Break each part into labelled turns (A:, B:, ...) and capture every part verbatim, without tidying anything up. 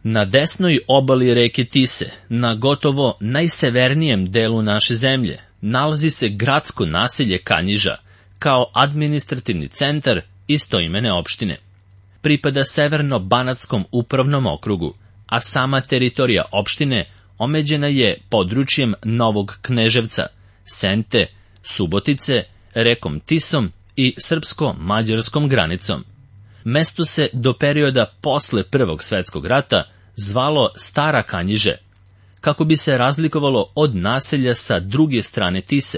A: Na desnoj obali reke Tise, na gotovo najsevernijem delu naše zemlje, nalazi se gradsko naselje Kanjiža, kao administrativni centar istoimene opštine. Pripada Severno-Banatskom upravnom okrugu, a sama teritorija opštine omeđena je područjem Novog Kneževca, Sente, Subotice, rekom Tisom i srpsko-mađarskom granicom. Mesto se do perioda posle Prvog svetskog rata zvalo Stara Kanjiže, kako bi se razlikovalo od naselja sa druge strane Tise,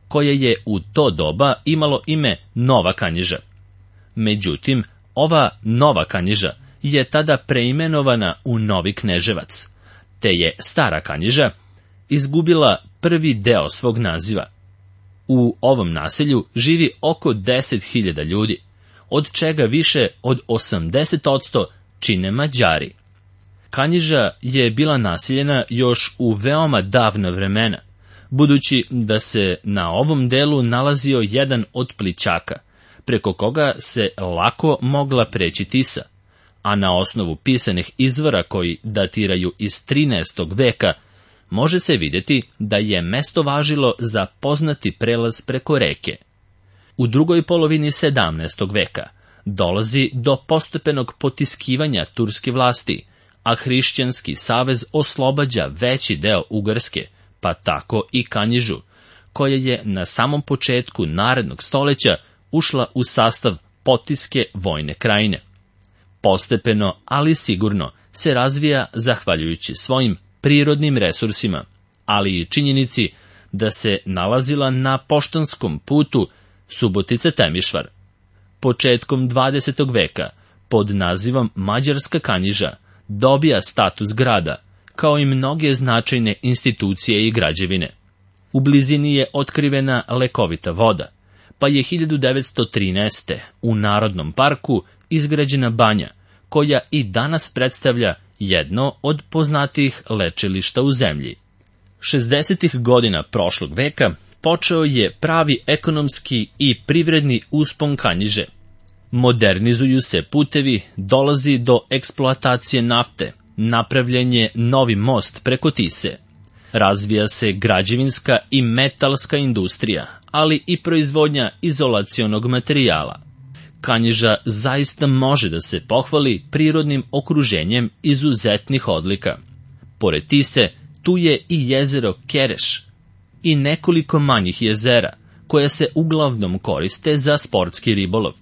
A: koje je u to doba imalo ime Nova Kanjiža. Međutim, ova Nova Kanjiža je tada preimenovana u Novi Kneževac, te je Stara Kanjiža izgubila prvi deo svog naziva. U ovom naselju živi oko deset hiljada ljudi, od čega više od osamdeset posto čine Mađari. Kanjiža je bila naseljena još u veoma davna vremena, budući da se na ovom delu nalazio jedan od plićaka, preko koga se lako mogla preći Tisa, a na osnovu pisanih izvora koji datiraju iz trinaestog veka, može se vidjeti da je mesto važilo za poznati prelaz preko reke. U drugoj polovini sedamnaestog veka dolazi do postepenog potiskivanja turske vlasti, a hrišćanski savez oslobađa veći deo Ugarske, pa tako i Kanjižu, koja je na samom početku narednog stoleća ušla u sastav Potiske vojne krajine. Postepeno, ali sigurno, se razvija zahvaljujući svojim prirodnim resursima, ali i činjenici da se nalazila na poštanskom putu Subotica-Temišvar. Početkom dvadesetog veka, pod nazivom Mađarska Kanjiža, dobija status grada, kao i mnoge značajne institucije i građevine. U blizini je otkrivena lekovita voda, pa je hiljadu devetsto trinaeste. u Narodnom parku izgrađena banja, koja i danas predstavlja jedno od poznatijih lečilišta u zemlji. šezdesetih godina prošlog veka počeo je pravi ekonomski i privredni uspon Kanjiže. Modernizuju se putevi, dolazi do eksploatacije nafte, napravljen je novi most preko Tise. Razvija se građevinska i metalska industrija, ali i proizvodnja izolacionog materijala. Kanjiža zaista može da se pohvali prirodnim okruženjem izuzetnih odlika. Pored Tise, tu je i jezero Kereš i nekoliko manjih jezera, koja se uglavnom koriste za sportski ribolov.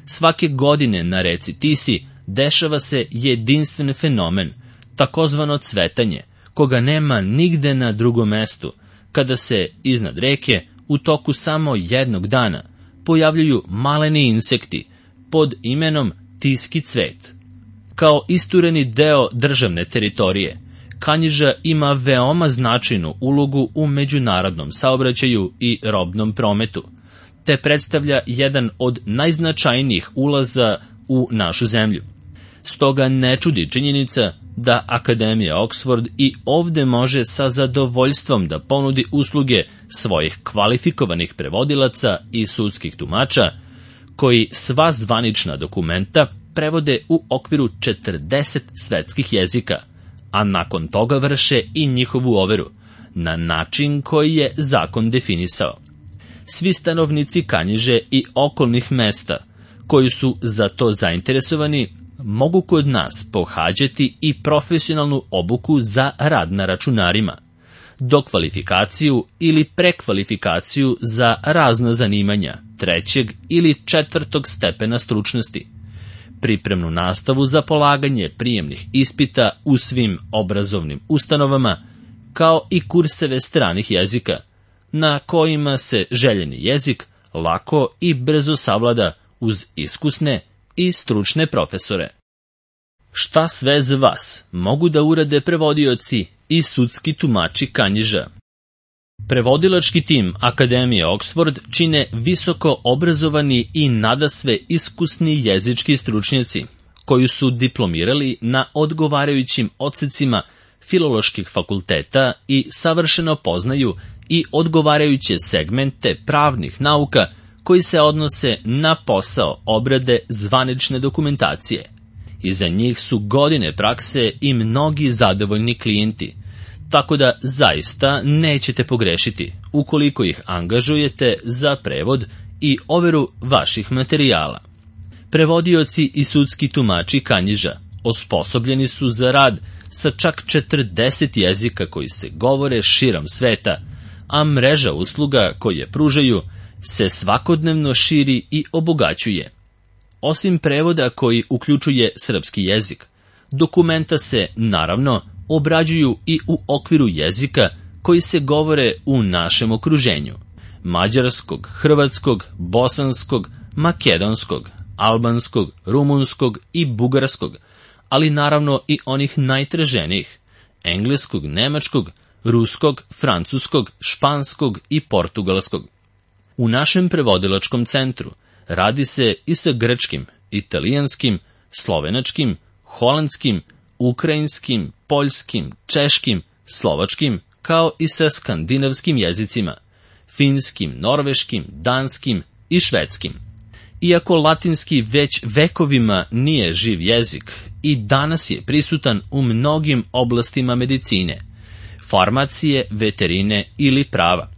A: Svake godine na reci Tisi dešava se jedinstven fenomen, takozvano cvetanje, koga nema nigde na drugom mestu, kada se iznad reke u toku samo jednog dana pojavljuju maleni insekti pod imenom tiski cvet. Kao istureni deo državne teritorije, Kanjiža ima veoma značajnu ulogu u međunarodnom saobraćaju i robnom prometu, te predstavlja jedan od najznačajnijih ulaza u našu zemlju. Stoga ne čudi činjenica da Akademija Oxford i ovde može sa zadovoljstvom da ponudi usluge svojih kvalifikovanih prevodilaca i sudskih tumača, koji sva zvanična dokumenta prevode u okviru četrdeset svetskih jezika, a nakon toga vrše i njihovu overu, na način koji je zakon definisao. Svi stanovnici Kanjiže i okolnih mesta, koji su za to zainteresovani, mogu kod nas pohađati i profesionalnu obuku za rad na računarima, dokvalifikaciju ili prekvalifikaciju za razna zanimanja trećeg ili četvrtog stepena stručnosti, pripremnu nastavu za polaganje prijemnih ispita u svim obrazovnim ustanovama, kao i kurseve stranih jezika, na kojima se željeni jezik lako i brzo savlada uz iskusne i stručne profesore. Šta sve za vas mogu da urade prevodioci i sudski tumači Kanjiža? Prevodilački tim Akademije Oxford čine visoko obrazovani i nadasve iskusni jezički stručnjaci, koji su diplomirali na odgovarajućim odsecima filoloških fakulteta i savršeno poznaju i odgovarajuće segmente pravnih nauka koji se odnose na posao obrade zvanične dokumentacije. Iza njih su godine prakse i mnogi zadovoljni klijenti, tako da zaista nećete pogrešiti ukoliko ih angažujete za prevod i overu vaših materijala. Prevodioci i sudski tumači Kanjiža osposobljeni su za rad sa čak četrdeset jezika koji se govore širom sveta, a mreža usluga koje pružaju se svakodnevno širi i obogaćuje. Osim prevoda koji uključuje srpski jezik, dokumenta se, naravno, obrađuju i u okviru jezika koji se govore u našem okruženju: mađarskog, hrvatskog, bosanskog, makedonskog, albanskog, rumunskog i bugarskog, ali naravno i onih najtraženijih: engleskog, nemačkog, ruskog, francuskog, španskog i portugalskog. U našem prevodilačkom centru radi se i sa grčkim, italijanskim, slovenačkim, holandskim, ukrajinskim, poljskim, češkim, slovačkim, kao i sa skandinavskim jezicima: finskim, norveškim, danskim i švedskim. Iako latinski već vekovima nije živ jezik, i danas je prisutan u mnogim oblastima medicine, farmacije, veterine ili prava.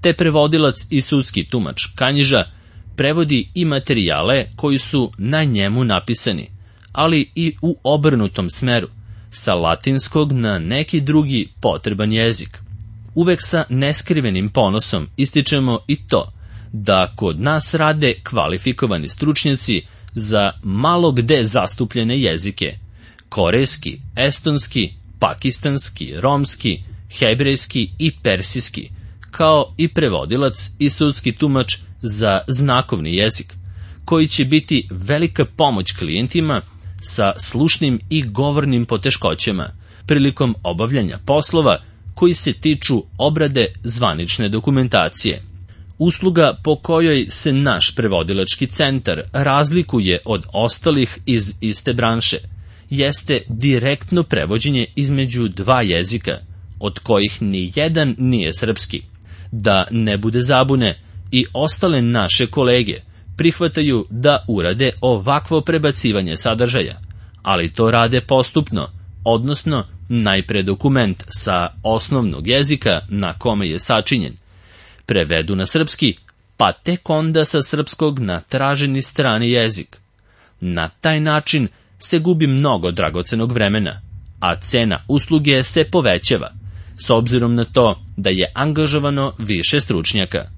A: Te prevodilac i sudski tumač Kanjiža prevodi i materijale koji su na njemu napisani, ali i u obrnutom smeru, sa latinskog na neki drugi potreban jezik. Uvek sa neskrivenim ponosom ističemo i to da kod nas rade kvalifikovani stručnjaci za malo gde zastupljene jezike: korejski, estonski, pakistanski, romski, hebrejski i persijski, kao i prevodilac i sudski tumač za znakovni jezik, koji će biti velika pomoć klijentima sa slušnim i govornim poteškoćama prilikom obavljanja poslova koji se tiču obrade zvanične dokumentacije. Usluga po kojoj se naš prevodilački centar razlikuje od ostalih iz iste branše jeste direktno prevođenje između dva jezika, od kojih ni jedan nije srpski. Da ne bude zabune, i ostale naše kolege prihvataju da urade ovakvo prebacivanje sadržaja, ali to rade postupno, odnosno najpre dokument sa osnovnog jezika na kome je sačinjen prevedu na srpski, pa tek onda sa srpskog na traženi strani jezik. Na taj način se gubi mnogo dragocenog vremena, a cena usluge se povećava, s obzirom na to da je angažovano više stručnjaka.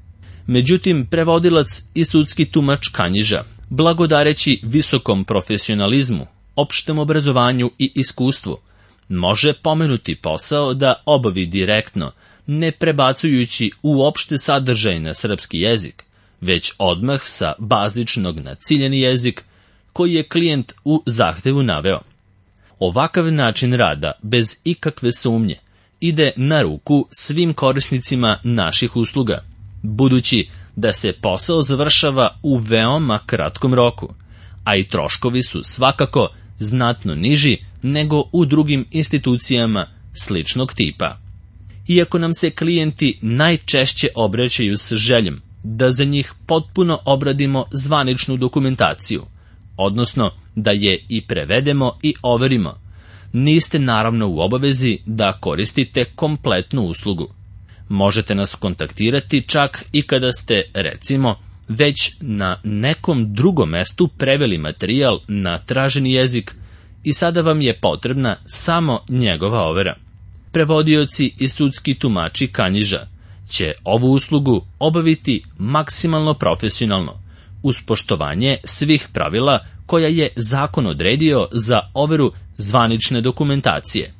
A: Međutim, prevodilac i sudski tumač Kanjiža, blagodareći visokom profesionalizmu, opštem obrazovanju i iskustvu, može pomenuti posao da obavi direktno, ne prebacujući uopšte sadržaj na srpski jezik, već odmah sa bazičnog na ciljeni jezik koji je klijent u zahtevu naveo. Ovakav način rada, bez ikakve sumnje, ide na ruku svim korisnicima naših usluga, budući da se posao završava u veoma kratkom roku, a i troškovi su svakako znatno niži nego u drugim institucijama sličnog tipa. Iako nam se klijenti najčešće obraćaju s željom da za njih potpuno obradimo zvaničnu dokumentaciju, odnosno da je i prevedemo i overimo, niste naravno u obavezi da koristite kompletnu uslugu. Možete nas kontaktirati čak i kada ste, recimo, već na nekom drugom mestu preveli materijal na traženi jezik i sada vam je potrebna samo njegova overa. Prevodioci i sudski tumači Kanjiža će ovu uslugu obaviti maksimalno profesionalno, uz poštovanje svih pravila koja je zakon odredio za overu zvanične dokumentacije.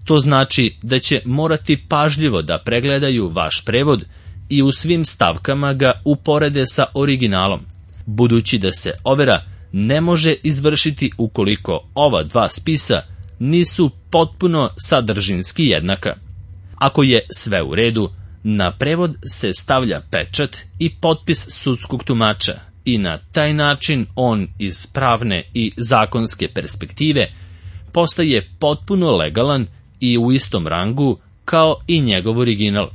A: To znači da će morati pažljivo da pregledaju vaš prevod i u svim stavkama ga uporede sa originalom, budući da se overa ne može izvršiti ukoliko ova dva spisa nisu potpuno sadržinski jednaka. Ako je sve u redu, na prevod se stavlja pečat i potpis sudskog tumača i na taj način on iz pravne i zakonske perspektive postaje potpuno legalan i u istom rangu kao i njegov original.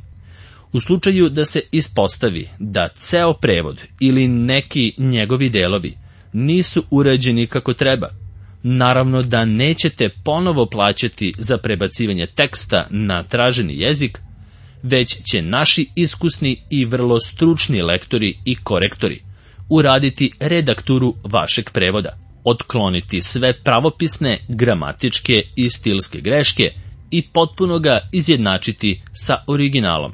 A: U slučaju da se ispostavi da ceo prevod ili neki njegovi delovi nisu urađeni kako treba, Naravno da nećete ponovo plaćati za prebacivanje teksta na traženi jezik, već će naši iskusni i vrlo stručni lektori i korektori uraditi redakturu vašeg prevoda, otkloniti sve pravopisne, gramatičke i stilske greške i potpuno ga izjednačiti sa originalom.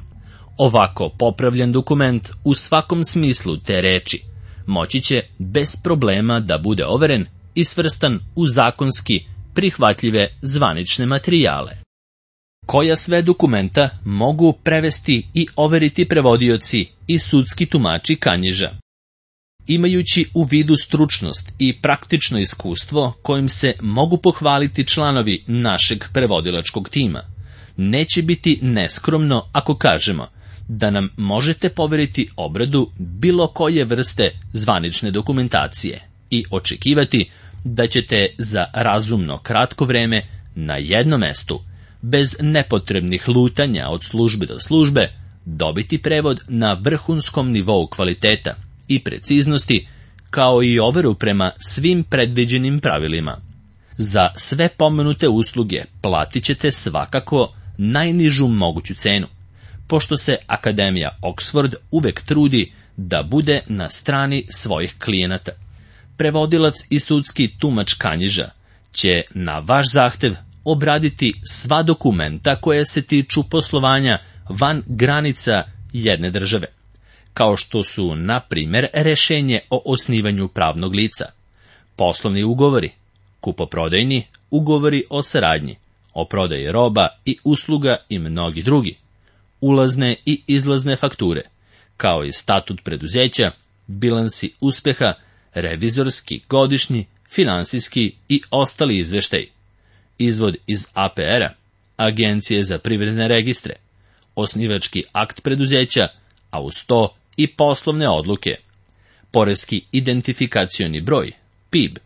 A: Ovako popravljen dokument u svakom smislu te reči moći će bez problema da bude overen i svrstan u zakonski prihvatljive zvanične materijale. Koja sve dokumenta mogu prevesti i overiti prevodioci i sudski tumači Kanjiža? Imajući u vidu stručnost i praktično iskustvo kojim se mogu pohvaliti članovi našeg prevodilačkog tima, neće biti neskromno ako kažemo da nam možete poveriti obradu bilo koje vrste zvanične dokumentacije i očekivati da ćete za razumno kratko vreme na jednom mestu, bez nepotrebnih lutanja od službe do službe, dobiti prevod na vrhunskom nivou kvaliteta i preciznosti, kao i overu prema svim predviđenim pravilima. Za sve pomenute usluge platit ćete svakako najnižu moguću cenu, pošto se Akademija Oxford uvek trudi da bude na strani svojih klijenata. Prevodilac i sudski tumač Kanjiža će na vaš zahtev obraditi sva dokumenta koje se tiču poslovanja van granica jedne države, kao što su, na primjer, rešenje o osnivanju pravnog lica, poslovni ugovori, kupoprodajni ugovori o saradnji, o prodaji roba i usluga i mnogi drugi, ulazne i izlazne fakture, kao i statut preduzeća, bilansi uspeha, revizorski, godišnji, finansijski i ostali izveštaji, izvod iz A P R-a, Agencije za privredne registre, osnivački akt preduzeća, a uz to i poslovne odluke, poreski identifikacioni broj, P I B,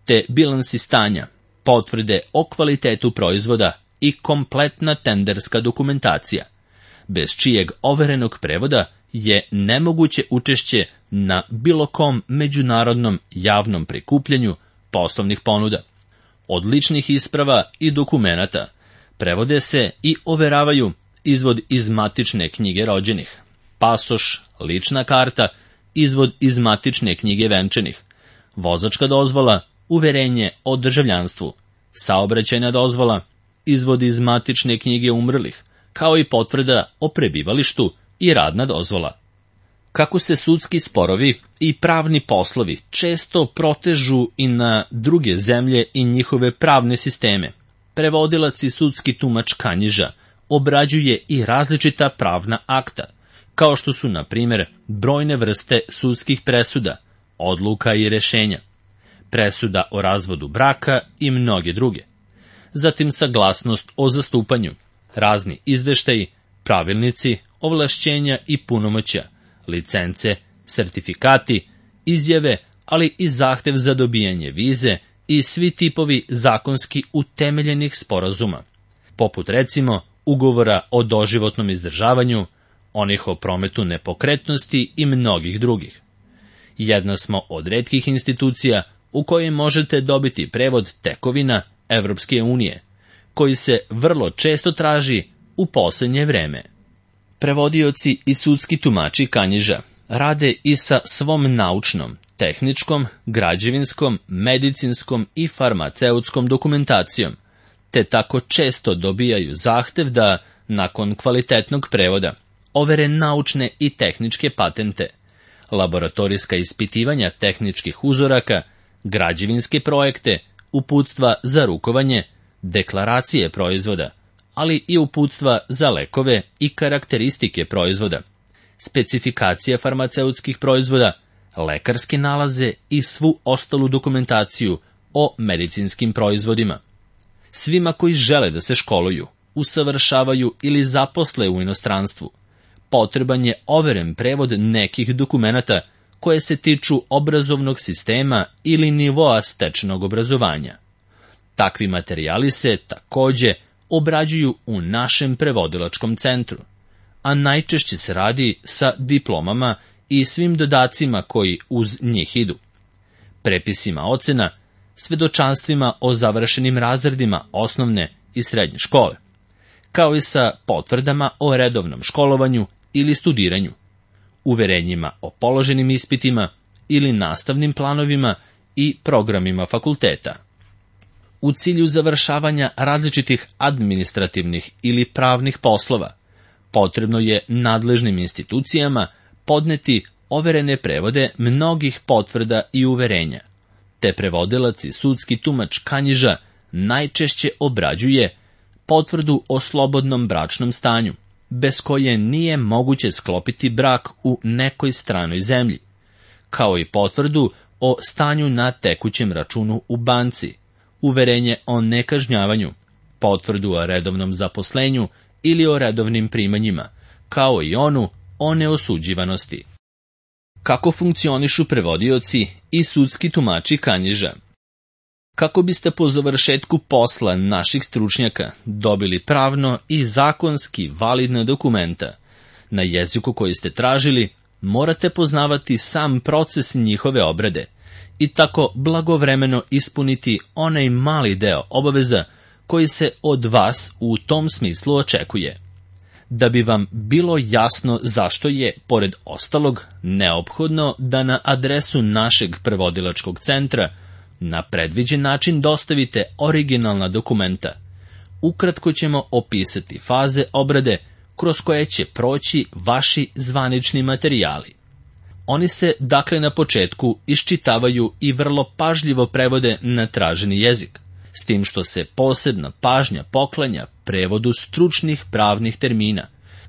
A: te bilansi stanja, potvrde o kvalitetu proizvoda i kompletna tenderska dokumentacija, bez čijeg overenog prevoda je nemoguće učešće na bilo kom međunarodnom javnom prikupljanju poslovnih ponuda. Od ličnih isprava i dokumenata prevode se i overavaju izvod iz matične knjige rođenih, pasoš, lična karta, izvod iz matične knjige venčanih, vozačka dozvola, uverenje o državljanstvu, saobraćajna dozvola, izvod iz matične knjige umrlih, kao i potvrda o prebivalištu i radna dozvola. Kako se sudski sporovi i pravni poslovi često protežu i na druge zemlje i njihove pravne sisteme, prevodilac i sudski tumač Kanjiža obrađuje i različita pravna akta, kao što su, na primjer, brojne vrste sudskih presuda, odluka i rešenja, presuda o razvodu braka i mnoge druge. Zatim saglasnost o zastupanju, razni izveštaji, pravilnici, ovlašćenja i punomoćja, licence, sertifikati, izjave, ali i zahtev za dobijanje vize i svi tipovi zakonski utemeljenih sporazuma, poput recimo ugovora o doživotnom izdržavanju, onih o prometu nepokretnosti i mnogih drugih. Jedna smo od retkih institucija u kojoj možete dobiti prevod tekovina Evropske unije, koji se vrlo često traži u posljednje vreme. Prevodioci i sudski tumači Kanjiža rade i sa svom naučnom, tehničkom, građevinskom, medicinskom i farmaceutskom dokumentacijom, te tako često dobijaju zahtev da, nakon kvalitetnog prevoda, overe naučne i tehničke patente, laboratorijska ispitivanja tehničkih uzoraka, građevinske projekte, uputstva za rukovanje, deklaracije proizvoda, ali i uputstva za lekove i karakteristike proizvoda, specifikacije farmaceutskih proizvoda, lekarske nalaze i svu ostalu dokumentaciju o medicinskim proizvodima. Svima koji žele da se školuju, usavršavaju ili zaposle u inostranstvu, potreban je overen prevod nekih dokumenata koje se tiču obrazovnog sistema ili nivoa stečenog obrazovanja. Takvi materijali se takođe obrađuju u našem prevodilačkom centru, a najčešće se radi sa diplomama i svim dodacima koji uz njih idu, prepisima ocena, svedočanstvima o završenim razredima osnovne i srednje škole, kao i sa potvrdama o redovnom školovanju ili studiranju, uverenjima o položenim ispitima ili nastavnim planovima i programima fakulteta. U cilju završavanja različitih administrativnih ili pravnih poslova, potrebno je nadležnim institucijama podneti overene prevode mnogih potvrda i uverenja, te prevodilac i sudski tumač Kanjiža najčešće obrađuje potvrdu o slobodnom bračnom stanju, bez koje nije moguće sklopiti brak u nekoj stranoj zemlji, kao i potvrdu o stanju na tekućem računu u banci, uverenje o nekažnjavanju, potvrdu o redovnom zaposlenju ili o redovnim primanjima, kao i onu o neosuđivanosti. Kako funkcionišu prevodioci i sudski tumači Kanjiža? Kako biste po završetku posla naših stručnjaka dobili pravno i zakonski validna dokumenta na jeziku koji ste tražili, morate poznavati sam proces njihove obrade i tako blagovremeno ispuniti onaj mali deo obaveza koji se od vas u tom smislu očekuje. Da bi vam bilo jasno zašto je, pored ostalog, neophodno da na adresu našeg prevodilačkog centra na predviđen način dostavite originalna dokumenta, ukratko ćemo opisati faze obrade kroz koje će proći vaši zvanični materijali. Oni se, dakle, na početku iščitavaju i vrlo pažljivo prevode na traženi jezik, s tim što se posebna pažnja poklanja prevodu stručnih pravnih termina,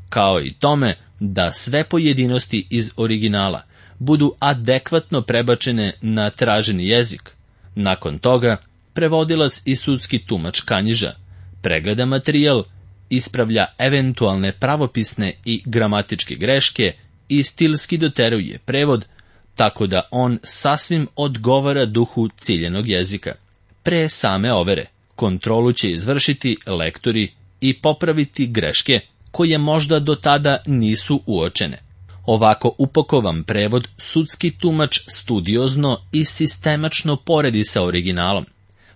A: kao i tome da sve pojedinosti iz originala budu adekvatno prebačene na traženi jezik. Nakon toga, prevodilac i sudski tumač Kanjiža pregleda materijal, ispravlja eventualne pravopisne i gramatičke greške i stilski doteruje prevod, tako da on sasvim odgovara duhu ciljenog jezika. Pre same overe, kontrolu će izvršiti lektori i popraviti greške koje možda do tada nisu uočene. Ovako upakovan prevod sudski tumač studiozno i sistemačno poredi sa originalom,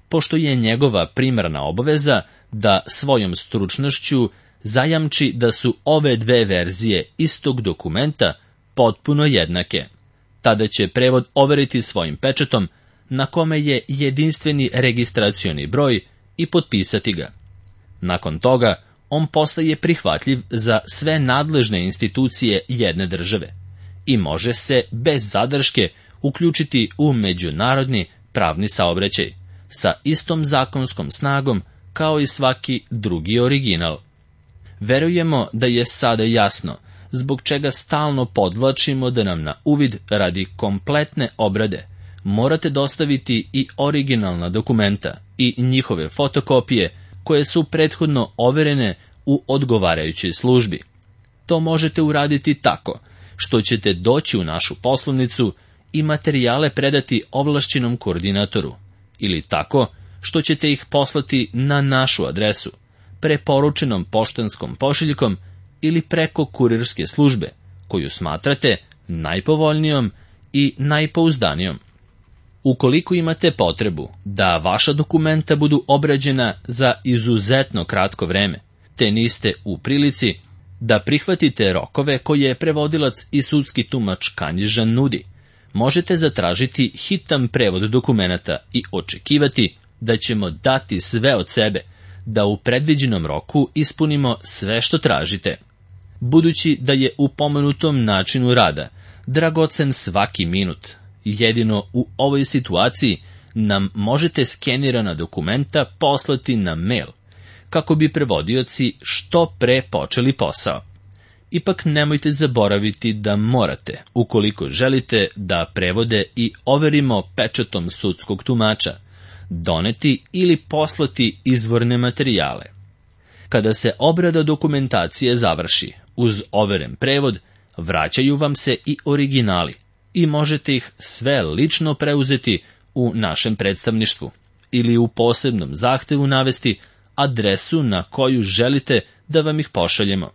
A: pošto je njegova primarna obaveza da svojom stručnošću zajamči da su ove dve verzije istog dokumenta potpuno jednake. Tada će prevod overiti svojim pečatom, na kome je jedinstveni registracioni broj, i potpisati ga. Nakon toga, on postaje prihvatljiv za sve nadležne institucije jedne države i može se bez zadrške uključiti u međunarodni pravni saobraćaj sa istom zakonskom snagom kao i svaki drugi original. Verujemo da je sada jasno zbog čega stalno podvlačimo da nam na uvid radi kompletne obrade morate dostaviti i originalna dokumenta i njihove fotokopije koje su prethodno overene u odgovarajućoj službi. To možete uraditi tako što ćete doći u našu poslovnicu i materijale predati ovlašćenom koordinatoru, ili tako što ćete ih poslati na našu adresu, preporučenom poštanskom pošiljkom ili preko kurirske službe, koju smatrate najpovoljnijom i najpouzdanijom. Ukoliko imate potrebu da vaša dokumenta budu obrađena za izuzetno kratko vreme, te niste u prilici da prihvatite rokove koje prevodilac i sudski tumač Kanjiža nudi, možete zatražiti hitan prevod dokumenata i očekivati da ćemo dati sve od sebe da u predviđenom roku ispunimo sve što tražite. Budući da je u pomenutom načinu rada dragocen svaki minut, jedino u ovoj situaciji nam možete skenirana dokumenta poslati na mail, kako bi prevodioci što pre počeli posao. Ipak nemojte zaboraviti da morate, ukoliko želite da prevode i overimo pečatom sudskog tumača, doneti ili poslati izvorne materijale. Kada se obrada dokumentacije završi, uz overen prevod, vraćaju vam se i originali i možete ih sve lično preuzeti u našem predstavništvu ili u posebnom zahtevu navesti adresu na koju želite da vam ih pošaljemo.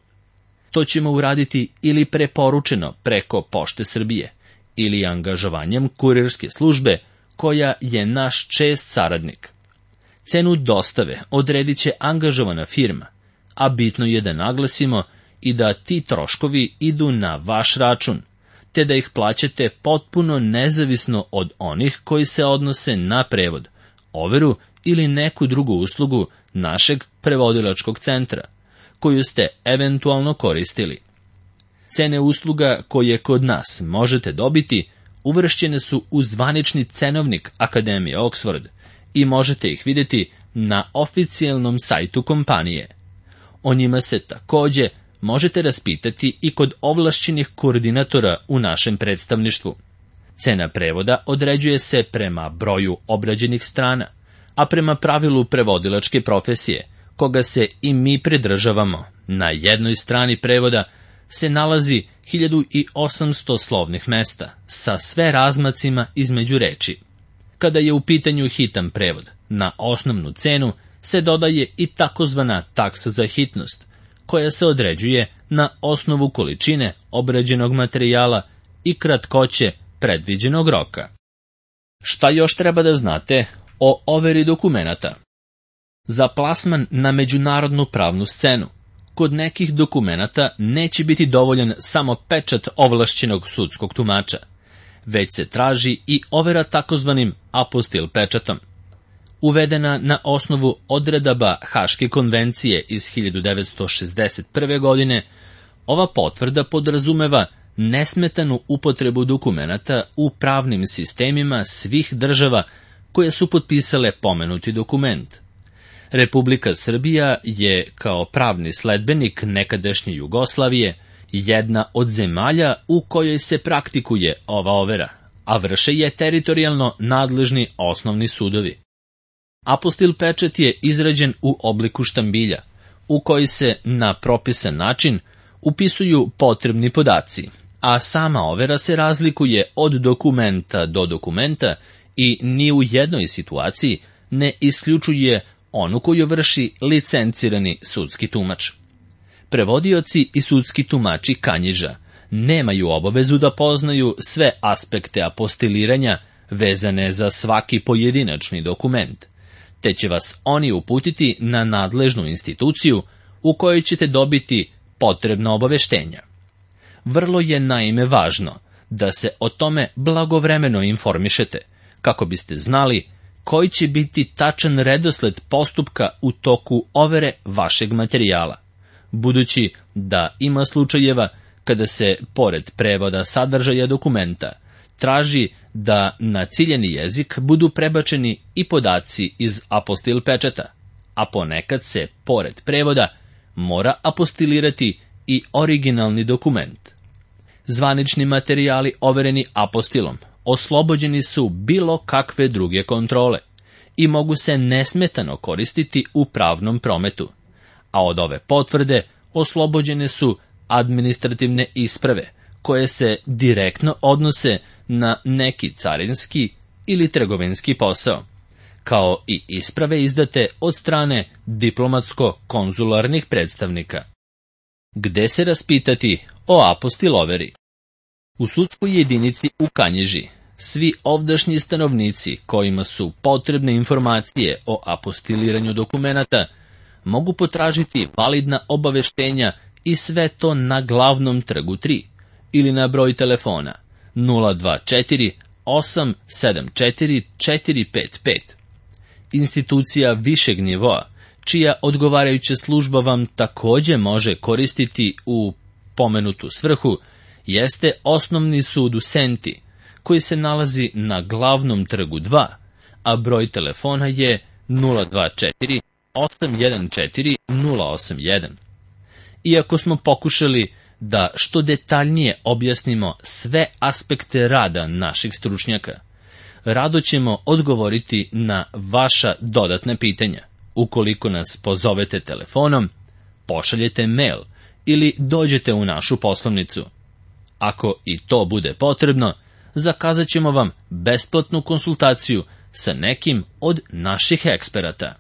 A: To ćemo uraditi ili preporučeno preko Pošte Srbije ili angažovanjem kurirske službe koja je naš čest saradnik. Cenu dostave odredit će angažovana firma, a bitno je da naglasimo i da ti troškovi idu na vaš račun, te da ih plaćate potpuno nezavisno od onih koji se odnose na prevod, overu ili neku drugu uslugu našeg prevodilačkog centra, koju ste eventualno koristili. Cene usluga koje kod nas možete dobiti uvršćene su u zvanični cenovnik Akademije Oxford i možete ih vidjeti na oficijalnom sajtu kompanije. O njima se takođe možete raspitati i kod ovlašćenih koordinatora u našem predstavništvu. Cena prevoda određuje se prema broju obrađenih strana, a prema pravilu prevodilačke profesije, koga se i mi pridržavamo. Na jednoj strani prevoda se nalazi hiljadu osamsto slovnih mesta, sa sve razmacima između reči. Kada je u pitanju hitan prevod, na osnovnu cenu se dodaje i takozvana taksa za hitnost, koja se određuje na osnovu količine obrađenog materijala i kratkoće predviđenog roka. Šta još treba da znate o overi dokumenata? Za plasman na međunarodnu pravnu scenu, kod nekih dokumenata neće biti dovoljan samo pečat ovlašćenog sudskog tumača, već se traži i overa takozvanim apostil pečatom. Uvedena na osnovu odredaba Haške konvencije iz hiljadu devetsto šezdeset prve. godine, ova potvrda podrazumeva nesmetanu upotrebu dokumenata u pravnim sistemima svih država koje su potpisale pomenuti dokument. Republika Srbija je, kao pravni sledbenik nekadašnje Jugoslavije, jedna od zemalja u kojoj se praktikuje ova overa, a vrše je teritorijalno nadležni osnovni sudovi. Apostil pečat je izrađen u obliku štambilja, u koji se na propisan način upisuju potrebni podaci, a sama overa se razlikuje od dokumenta do dokumenta i ni u jednoj situaciji ne isključuje onu koju vrši licencirani sudski tumač. Prevodioci i sudski tumači kanjiža nemaju obavezu da poznaju sve aspekte apostiliranja vezane za svaki pojedinačni dokument, te će vas oni uputiti na nadležnu instituciju u kojoj ćete dobiti potrebna obaveštenja. Vrlo je naime važno da se o tome blagovremeno informišete, kako biste znali koji će biti tačan redosled postupka u toku overe vašeg materijala, budući da ima slučajeva kada se, pored prevoda sadržaja dokumenta, traži da na ciljeni jezik budu prebačeni i podaci iz apostil pečata, a ponekad se, pored prevoda, mora apostilirati i originalni dokument. Zvanični materijali overeni apostilom oslobođeni su bilo kakve druge kontrole i mogu se nesmetano koristiti u pravnom prometu, a od ove potvrde oslobođene su administrativne isprave koje se direktno odnose na neki carinski ili trgovinski posao, kao i isprave izdate od strane diplomatsko-konzularnih predstavnika. Gde se raspitati o apostil overi? U sudskoj jedinici u Kanjiži svi ovdašnji stanovnici kojima su potrebne informacije o apostiliranju dokumenata mogu potražiti validna obaveštenja i sve to na glavnom trgu tri ili na broj telefona nula dva četiri osam sedam četiri četiri pet pet. Institucija višeg nivoa, čija odgovarajuća služba vam takođe može koristiti u pomenutu svrhu, jeste Osnovni sud u Senti, koji se nalazi na glavnom trgu dva, a broj telefona je nula dva četiri osam jedan četiri nula osam jedan. Iako smo pokušali da što detaljnije objasnimo sve aspekte rada naših stručnjaka, rado ćemo odgovoriti na vaša dodatna pitanja. Ukoliko nas pozovete telefonom, pošaljete mail ili dođete u našu poslovnicu. Ako i to bude potrebno, zakazat ćemo vam besplatnu konsultaciju sa nekim od naših eksperata.